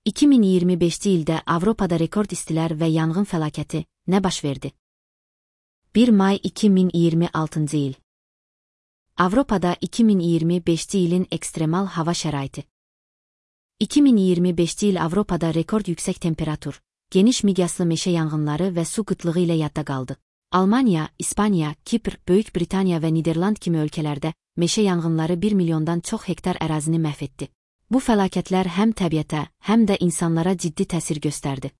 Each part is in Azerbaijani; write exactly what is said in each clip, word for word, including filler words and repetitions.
iki min iyirmi beşinci ildə Avropada rekord istilər və yanğın fəlakəti nə baş verdi? bir may iki min iyirmi altıncı il. Avropada iki min iyirmi beşinci ilin ekstremal hava şəraiti. iki min iyirmi beşinci il Avropada rekord yüksək temperatur, geniş miqyaslı meşə yanğınları və su qıtlığı ilə yadda qaldı. Almaniya, İspaniya, Kipr, Böyük Britaniya və Niderland kimi ölkələrdə meşə yanğınları bir milyondan çox hektar ərazini məhv etdi. Bu fəlakətlər həm təbiətə, həm də insanlara ciddi təsir göstərdi.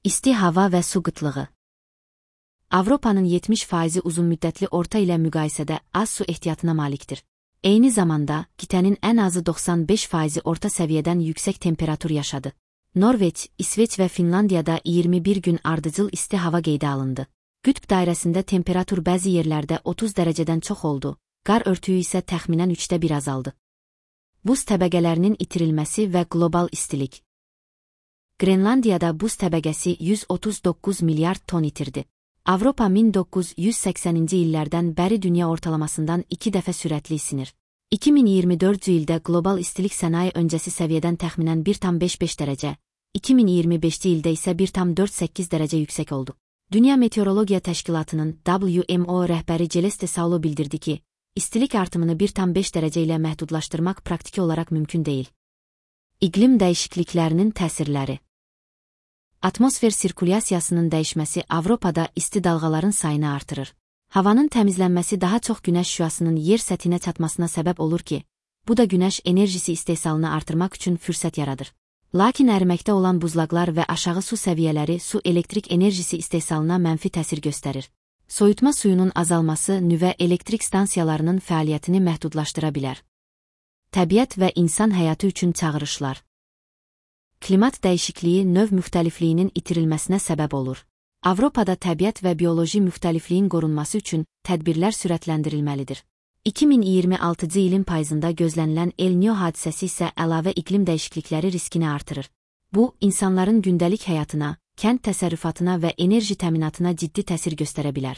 İsti hava və su qıtlığı. Avropanın yetmiş faizi uzunmüddətli orta ilə müqayisədə az su ehtiyatına malikdir. Eyni zamanda, qitənin ən azı doxsan beş faizi orta səviyyədən yüksək temperatur yaşadı. Norveç, İsveç və Finlandiyada iyirmi bir gün ardıcıl isti hava qeydə alındı. Qütb dairəsində temperatur bəzi yerlərdə otuz dərəcədən çox oldu, qar örtüyü isə təxminən üçdə bir azaldı. Buz təbəqələrinin itirilməsi və qlobal istilik. Qrenlandiyada buz təbəqəsi yüz otuz doqquz milyard ton itirdi. Avropa min doqquz yüz səksəninci illərdən bəri dünya ortalamasından iki dəfə sürətli isinir. iki min iyirmi dördüncü ildə qlobal istilik sənaye öncəsi səviyyədən təxminən bir tam beş beş dərəcə, iki min iyirmi beşinci ildə isə bir tam dörd səkkiz dərəcə yüksək oldu. Dünya Meteorologiya Təşkilatının W M O rəhbəri Celeste Saulo bildirdi ki, istilik artımını bir tam beş dərəcə ilə məhdudlaşdırmaq praktiki olaraq mümkün deyil. İqlim dəyişikliklərinin təsirləri. Atmosfer sirkulyasiyasının dəyişməsi Avropada isti dalğaların sayını artırır. Havanın təmizlənməsi daha çox günəş şüasının yer səthinə çatmasına səbəb olur ki, bu da günəş enerjisi istehsalını artırmaq üçün fürsət yaradır. Lakin əriməkdə olan buzlaqlar və aşağı su səviyyələri su elektrik enerjisi istehsalına mənfi təsir göstərir. Soyutma suyunun azalması nüvə elektrik stansiyalarının fəaliyyətini məhdudlaşdıra bilər. Təbiət və insan həyatı üçün çağırışlar. Klimat dəyişikliyi növ müxtəlifliyinin itirilməsinə səbəb olur. Avropada təbiət və bioloji müxtəlifliyin qorunması üçün tədbirlər sürətləndirilməlidir. iki min iyirmi altıncı ilin payızında gözlənilən El Niño hadisəsi isə əlavə iqlim dəyişiklikləri riskini artırır. Bu, insanların gündəlik həyatına, kənd təsərrüfatına və enerji təminatına ciddi təsir göstərə bilər.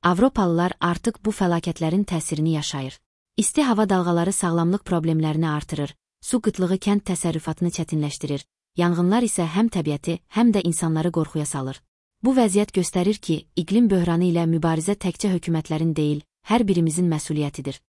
Avropalılar artıq bu fəlakətlərin təsirini yaşayır. İsti hava dalğaları sağlamlıq problemlərini artırır, su qıtlığı kənd təsərrüfatını çətinləşdirir, yanğınlar isə həm təbiəti, həm də insanları qorxuya salır. Bu vəziyyət göstərir ki, iqlim böhranı ilə mübarizə təkcə hökumətlərin deyil, hər birimizin məsuliyyətidir.